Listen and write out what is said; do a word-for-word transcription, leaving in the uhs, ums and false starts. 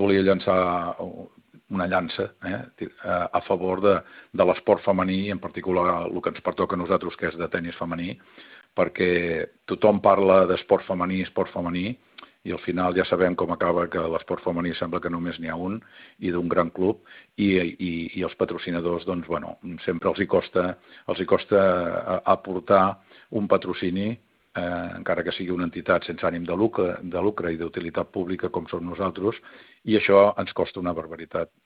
volia llançar una llança eh, a favor de, de l'esport femení, en particular el que ens pertoca a nosaltres, que és de tennis femení, perquè tothom parla d'esport femení, esport femení, i al final ja sabem com acaba, que l'esport femení sembla que només n'hi ha un, i d'un gran club, i, i, i els patrocinadors, doncs, bueno, sempre els hi costa, els hi costa aportar un patrocini, eh, encara que sigui una entitat sense ànim de lucre, de lucre i d'utilitat pública com som nosaltres, i això ens costa una barbaritat.